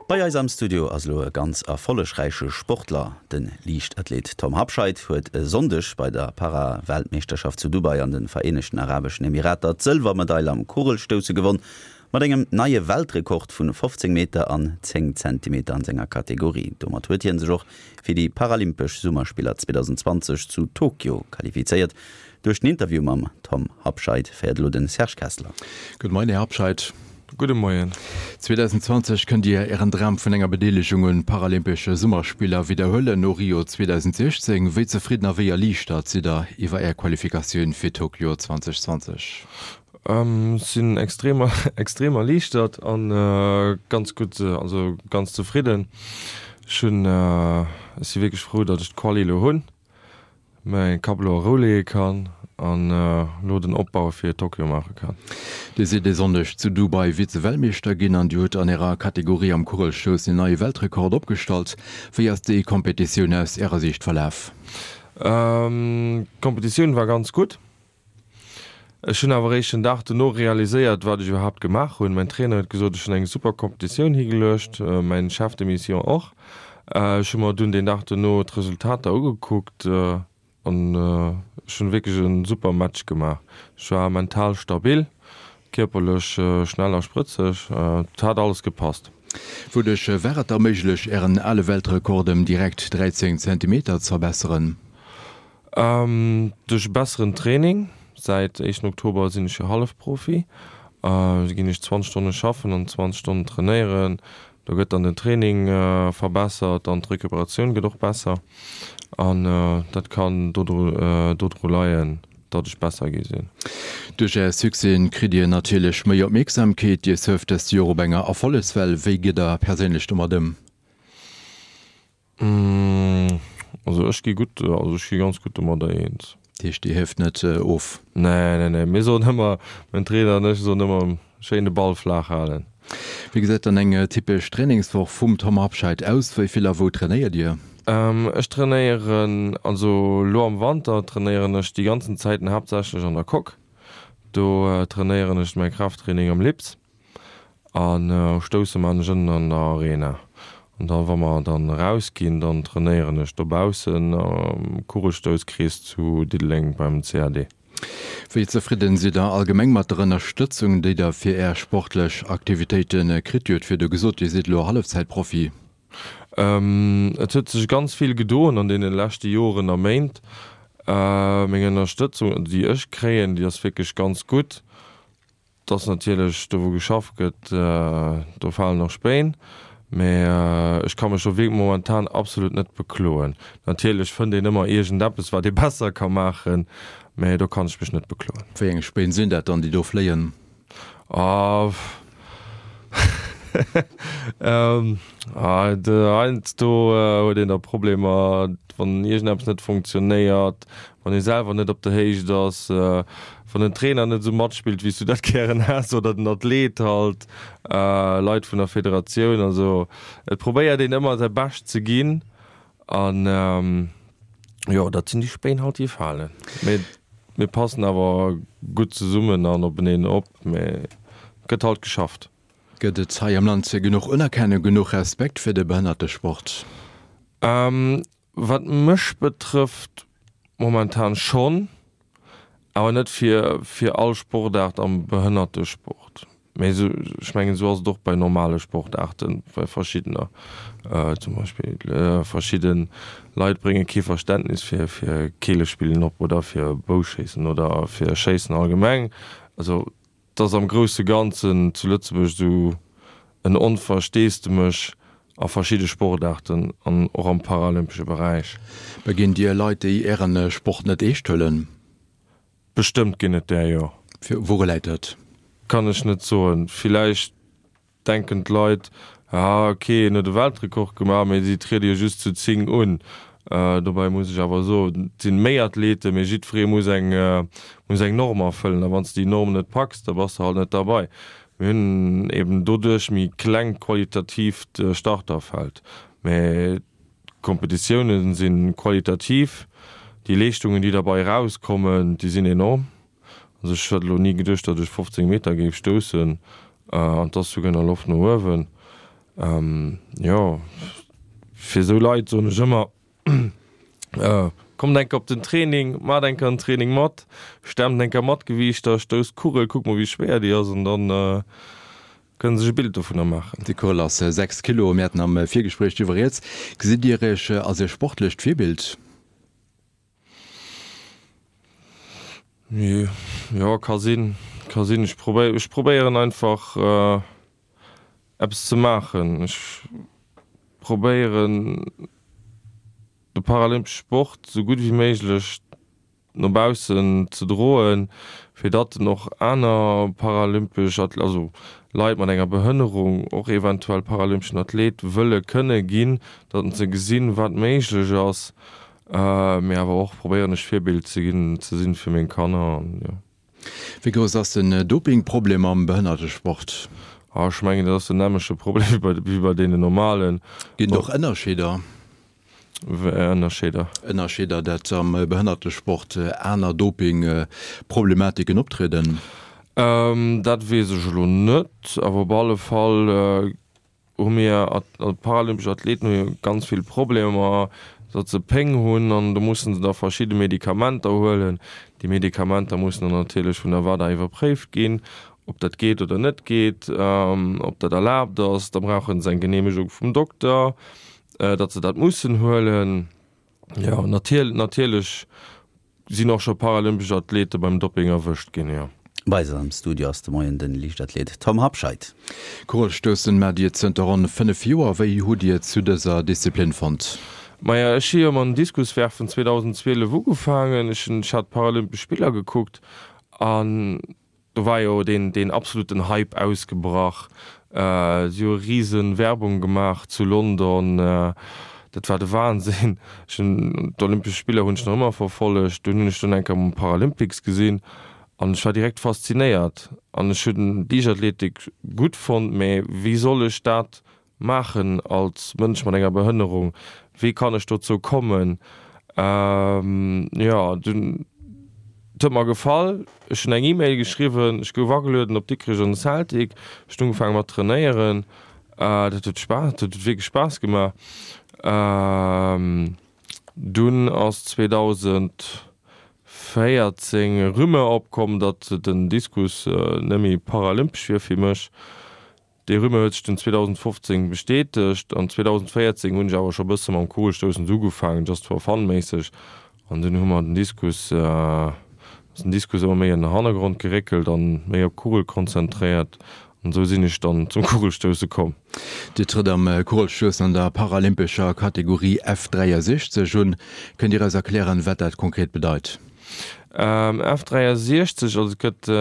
Bei eis am Studio ass elo e ganz erfollegräiche Sportler. De Liichtathlet Tom Habscheid huet e Sonndeg bei der Para-Weltmeeschterschaft zu Dubai an de Vereenegten Arabeschen Emirater d'Sëlwermedail am Kugelstousse gewonn, mat engem neie Weltrekord vu 15 Meter an 10 Zentimeter an senger Kategorie. Domat huet hie sech och fir déi Paralympesch Summerspiller 2020 zu Tokio qualifizéiert. Duerch den Interview mam Tom Habscheid féiert elo de Serge Kessler. Gudde Moien, Här Habscheid. Gudde Moien. 2020 kënnt Dir Ären Dram vun enger Bedeelegung un Paralympesche Summerspiller widderhuelen. No Rio 2016, wéi zefridden a wéi erliichtert sidd Der iwwer Är Qualifikatioun fir Tokio 2020? Ech sinn extrem extrem erliichtert an ganz gutt, also ganz zefridden. Ech hunn, ech si wierklech frou, datt ech d'Quali elo hunn. Mäi Kapp elo a Rou leeë kann an elo den Opbau fir Tokio maache kann. Dir sidd e Sonndeg zu Dubai Vize-Weltmeeschter ginn an Dir hutt an Ärer Kategorie am Kugelstoussen en neie Weltrekord opgestallt. Wéi ass déi Kompetitioun aus Ärer Siicht verlaf? D'Kompetitioun war ganz gutt. Ech hunn awer eréischt den Dag dono realiséiert, wat ech iwwerhaapt gemaach hunn. Mäin Trainer huet gesot, ech hunn eng super Kompetitioun higeluecht, mäin Chef de mission och. Ech hu mer dunn deen Dag dono d'Resultater ugekuckt an ech hunn wierklech e super Match gemaach. Ech war mental stabil, kierperlech schnell a sprëtzeg, et hat alles gepasst. Wouduerch war et da méiglech, Ären ale Weltrekord ëm direkt 13 Zentimeter ze verbesseren? Duerch e besseren Training, säit éischten Oktober sinn ech jo Hallefprofi, ginn ech 20 Stonne schaffen an 20 Stonnen trainéieren. Do gëtt dann den Training verbessert an d'Recuperatioun gëtt och besser an dat kann dodru leien, datt ech besser gi sinn. Duerch Är Succèsen kritt Dir natierlech méi Opmierksamkeet. Dir surft dëst Joer op enger Erfollegswell. Wéi gitt Der perséinlech domat ëm? Also ech gi gutt, also ech gi ganz gutt domadder eens. Dat heescht Dir hieft net of? Nee, nee, nee. Mir soen ëmmer, mäin Trainer an ech soen ëmmer, schéin de Ball flaach halen. Wéi gesäit dann eng typesch Trainingswoch vum Tom Habscheid aus? Wéi vill a wou trainéiert Dir? Ech trainéieren, also elo am Wanter trainéieren ech déi ganzen Zäiten haaptsächlech an der Coque. Do trainéieren ech mäi Kraafttraining am Lips. An stousse man ech ënnen an der Arena. An da wa mer dann eraus ginn, dann trainéieren ech dobaussen am Kugelstousskrees zu Diddeleng beim CAD. Wéi zefridden sidd der allgemeng mat der Ënnerstëtzung, déi der fir är sportlech Aktivitéite kritt? Dir hutt virdu gesot, dir sidd elo Hallefzäitprofi. Et huet sech ganz vill gedoen an deene leschte Joren a Méint. Meng Ënnerstëtzung, déi ech kréien, déi ass wierklech ganz gutt. 't ass natierlech do wou geschafft gëtt, do falen och Spéin, mä ech ka mech do wierklech momentan absolut net bekloen. Natierlech fënnt een ëmmer iergendeppes wat ee besser ka maachen, mä do kann ech mech net bekloen. Wéi eng Spéin sinn dat dann déi do fléien? Ah, heiansdo huet een da Problemer, wann iergendeppes net funktionéiert, wann ee selwer net op der Héicht ass, wann den Trainer net esou matspillt, wéi s du dat gären häss, oder den Athlet halt, Leit vun der Federatioun. Also et probéiert een ëmmer säi Bescht ze ginn an jo, dat sinn déi Spéin halt, déi falen. Mee mir passen awer gutt zesummen an openeen op, mee et gëtt halt geschafft. Gëtt et hei am Land genuch Unerkennung, genuch Respekt fir de Behënnertesport? Wat mech betrëfft, momentan schonn, awer net fir fir all Sportaart am Behënnertesport. Mee esou, ech mengen, esou ass et och bei normale Sportaarten, bei verschiddener. Zum Beispill verschidde Leit brénge kee Verständnis fir fir Keelespillen op oder fir Bouschéissen oder fir Schéissen allgemeng. Also 't ass am grousse Ganzen zu Lëtzebuerg esou en Onversteesdemech a verschidde Sportaarten an och am paralympesche Beräich. Begéint Dir Leit, déi Ären Sport net eescht huelen? Bestëmmt ginn et där, jo. Woure läit dat? Kann ech net soen. Villäicht denken d'Leit, ah ok, en huet e Weltrekord gemaach, mee si triede jo just zu 10 un. Dobäi muss ech awer soen, et sinn méi Athleten, mee jiddweree muss eng muss eng Norm erfëllen a wann s de déi Norm net packs, da bass de halt net derbei. Mir hunn eben doduerch méi klengt qualitatiivt Starterfeld, mee d'Kompetitioune si qualitativ, déi Leeschtungen, déi derbei erauskommen, déi sinn enorm. Also ech hätt elo ni geduecht, datt ech 15 Meter géif stoussen an et ass souguer nach Loft no uewen. Jo, fir esou Leit soen ech ëmmer, Kommt eng Kéier op den Training, maacht eng Kéier en Training mat, stemmt eng Kéier mat Gewiichter, stousst d'Kugel, kuckt mol wéi schwéier déi ass an dann kënne sech e Bild dovunner maachen. Déi Kugel ass 6 Kilo, mir haten am Virgespréich driwwer rieds. Gesitt Dir Iech als e sportlecht Virbild? Jo, ka sinn, ka sinn. Ech probéieren, ech probéieren einfach eppes ze maachen. Ech probéieren de paralympesche Sport esou gutt wéi méiglech no baussen ze droen, fir datt en och aner paralympesch, also Leit mat enger Behënnerung och eventuell paralympeschen Athlet wëlle kënne ginn, datt se gesinn, wat méiglech ass. Mee awer och probéieren ech Virbild ze ginn, ze sinn fir meng Kanner an jo. Wéi grouss ass den Dopingproblem am Behënnertesport? Ah, ech mengen dat ass den nämmlechte Problem wéi bei wéi bei deenen normalen. Ginn et och Ënnerscheeder? Wéi Ënnerscheeder? Ënnerscheeder, dat am Behënnertesport aner Dopingproblematiken optrieden? Dat weess ech elo net, awer op alle Fall hu mir paralympesch Athleten hu jo ganz vill Problemer, datt se Péng hunn an do mussen se da verschidde Medikamenter huelen. Déi Medikamenter mussen dann natierlech vun der WADA iwwerpréift ginn, ob dat geet oder net geet, ob dat erlaabt ass. Da brauche se eng Geneemegung vum Dokter, datt se dat mussen huelen. Jo, natierlech Sinn och scho paralympesch Athlete beim Dopping erwëscht ginn, jo. Bei eis am Studio ass de Moien den Liichtathlet Tom Habscheid. Kugelstoussen maacht Dir zënter ronn 5 Joer. Wéi hutt Dir zu dëser Disziplin fonnt? Maja, ech hu jo mam Diskuswerfen 2012 ugefaangen. Ech hunn, ech hat d'Paralympesch Spiller gekuckt an Do war jo deen deen absoluten Hype ausgebrach. Si hu riesen Werbung gemaach zu London. Dat war de Wahnsinn. Ech hunn d'Olympesch Spiller hunn ech nach ëmmer verfollegt. Dunn hunn ech dunn eng Kéier mam Paralympics gesinn an ech war direkt faszinéiert. An ech hunn d'Liichtathletik gutt fonnt, mä wéi soll ech dat maachen als Mënsch mat enger Behënnerung? Wéi kann ech dozou kommen? Jo, dunn, et huet mer gefall, ech hunn eng E-Mail geschriwwen, ech gouf agelueden op Dikrech an de Celtic, ech hunn ugefaange mat trainéieren, dat huet Spaass, dat huet wierklech Spaass gemaach. Dunn ass 2014 e Rumeur opkomm, datt den Diskus net méi paralympesch wier fir mech. Déi Rumeur huet sech dunn 2015 bestätegt an 2014 hunn ech awer scho bësse mam Kugelstoussen esou ugefaangen, just for fun méisseg an dunn hu mer den Diskus, ass den Diskus ëmmer méi an den Hannergrond geréckelt an méi op d'Kugel konzentréiert an esou sinn ech dann zum Kugelstousse komm. Dir trëtt am Kugelstoussen an der paralympescher Kategorie F63 un. Kënnt Dir eis erklären, wat dat konkret bedeit? F63, also et gëtt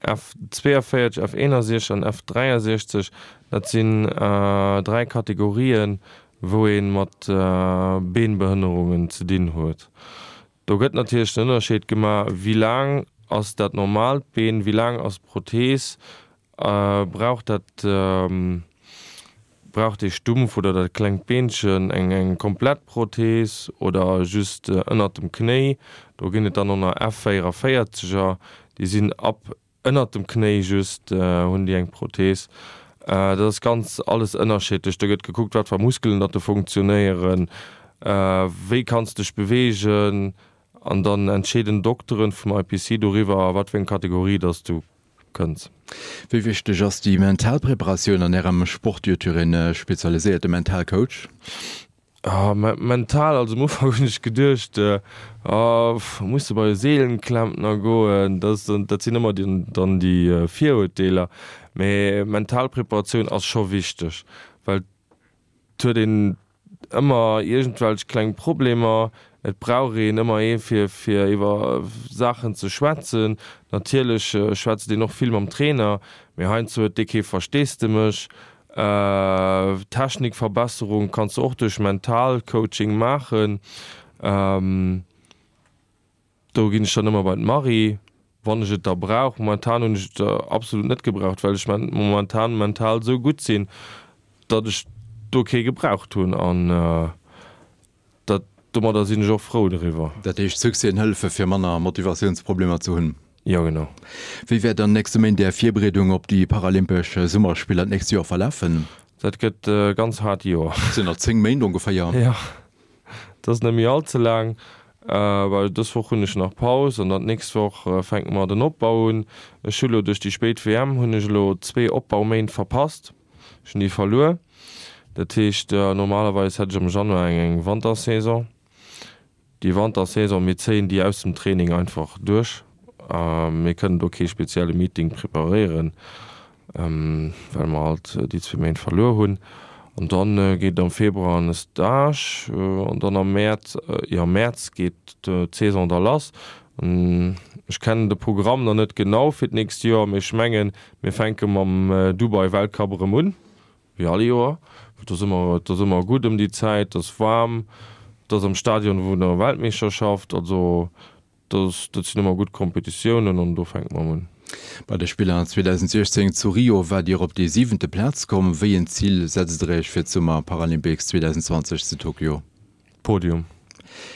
F42, F61 an F63, dat sinn 3 Kategorien, wou ee mat Beenbehënnerungen ze dinn huet. Do gëtt natierlech den Ënnerscheed gemaach, wéi laang ass dat normaalt Been, wéi laang ass d'Prothees, brauch dat brauch dee Stumpf oder dat klengt Beenchen eng eng komplett Prothees oder just ënnert dem Knéi. Do ginn et dann och nach F44er, déi sinn ab ënnert dem Knéi just hunn déi eng Prothees. Dat ass ganz alles ënnerschiddlech. Do gëtt gekuckt, wat fir Muskelen datt do funktionéieren, wéi kanns dech beweegen an dann entscheeden d'Dokteren vum IPC doriwwer, a wat fir eng Kategorie datt s du kënns. Wéi wichteg ass déi mental Preparatioun an Ärem Sport? Dir hutt jo een spezialiséierte Mentalcoach. Ah, mental, also am Ufank hunn ech geduecht, ah, muss de bei e Seelenklempner goen, dat dat sinn ëmmer dann déi Virurteeler. Mee mental Preparatioun ass scho wichteg, well et huet een ëmmer iergendwelch kleng Problemer, et brauch een ëmmer ee fir fir iwwer Saachen ze schwätzen. Natierlech schwätzt een och vill mam Trainer, mee heiansdo huet dee kee Versteesdemech. Technikverbesserung kanns de och duerch Mentalcoaching maachen. Do ginn ech dann ëmmer bei d'Marie, wann ech et da brauch. Momentan hunn ech et absolut net gebraucht, well ech momentan mental esou gutt sinn, datt ech do kee gebraucht hunn an dat domadder sinn ech och frou doriwwer. Dat heescht, Succèsen hëllefe fir manner Motivatiounsproblemer ze hunn? Jo, genau. Wéi wäert an nächste Méint Är Virbereedung op déi paralympesch Summerspiller d'nächst Joer verlafen? Dat gëtt e ganz haart Joer. Dat sinn nach 10 Méint ongeféier. Jo, dat ass net méi all ze laang. Well dës Woch hunn ech nach Paus an dann d'nächst Woch fänke mer den Opbau un. Ech hu lo duerch déi spéit WM hunn ech elo zwee Opbauméint verpasst. Ech hunn déi verluer. Dat heescht, normalerweis hätt ech am Januar eng eng Wantersaison. Déi Wantersaison, mir zéien déi aus dem Training einfach duerch. Mir kënnen do kee spezielle Meeting preparéieren, well mer halt déi zwee Méint verluer hunn. An dann geet et am Februar an e Stage an dann am Mäerz, jo am Mäerz geet d'Saison da lass. Ech kennen de Programm nach net genau fir d'nächst Joer, mee ech mengen, mir fänke mam Dubai-Weltcup erëm un. Wéi all Joer. Et ass ëmmer, et ass ëmmer gutt ëm déi Zäit, et ass waarm, et ass am Stadion vun der Weltmeeschterschaft. Also dat ass, dat sinn ëmmer gutt Kompetitiounen an do fänke mer un. Bei de Spiller 2016 zu Rio waart Dir op déi siwente Plaz komm. Wéi en Zil setzt Der Iech fir d'Summer Paralympics 2020 zu Tokio? Podium.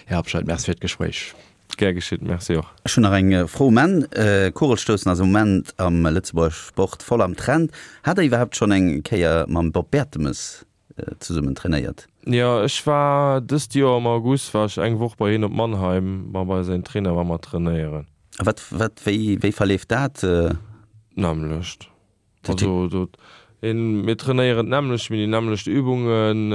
Här Habscheid, Merci fir d'Gespréich. Gär geschitt, Merci och. Ech hunn nach eng Fro um Enn. Kugelstoussen ass am Moment am Lëtzebuerger Sport voll am Trend. Hat Der iwwerhaapt schonn eng Kéier mam Bob Bertemes zesummen trainéiert? Jo, ech war dëst Joer am August war ech eng Woch bei hien op Mannheim, war bei säin Trainer war mer trainéieren. A wat, wat, wéi, wéi verleeft dat? D'nämmlecht. Also do, mir trainéieren d'nämmlecht, mir hunn déi nämmlecht Übungen.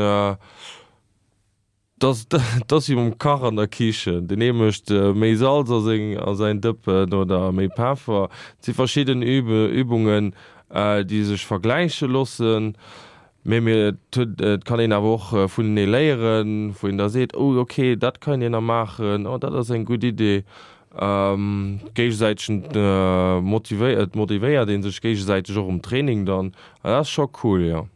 Dass dass wéi mam Kach an der Kichen, deen ee mécht méi Salz a seng a säin Dëppen oder méi Peffer. Et si verschidden Übungen, déi sech vergläiche loossen, mee mir et huet et kann een awer och vunenee léieren, wou een da seet, oh ok, dat kann een nach maachen, oh dat ass eng gutt Idee. Géigesäitegen motivéiert, et motivéiert ee sech géigesäiteg och um Training dann, dat ass scho cool, jo.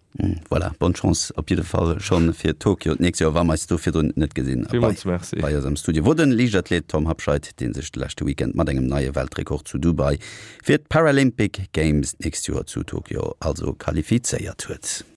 Voilà, bonne Chance op jidde Fall schonn fir Tokio d'nächst Joer, wa mer eis do virdrun net gesinn. Villmools Merci. Bei eis am Studio wor den Liichtathlet Tom Habscheid, dee sech de leschte Weekend mat engem neie Weltrekord zu Dubai fir d'Paralympic Games d'nächst Joer zu Tokio also qualifizéiert huet.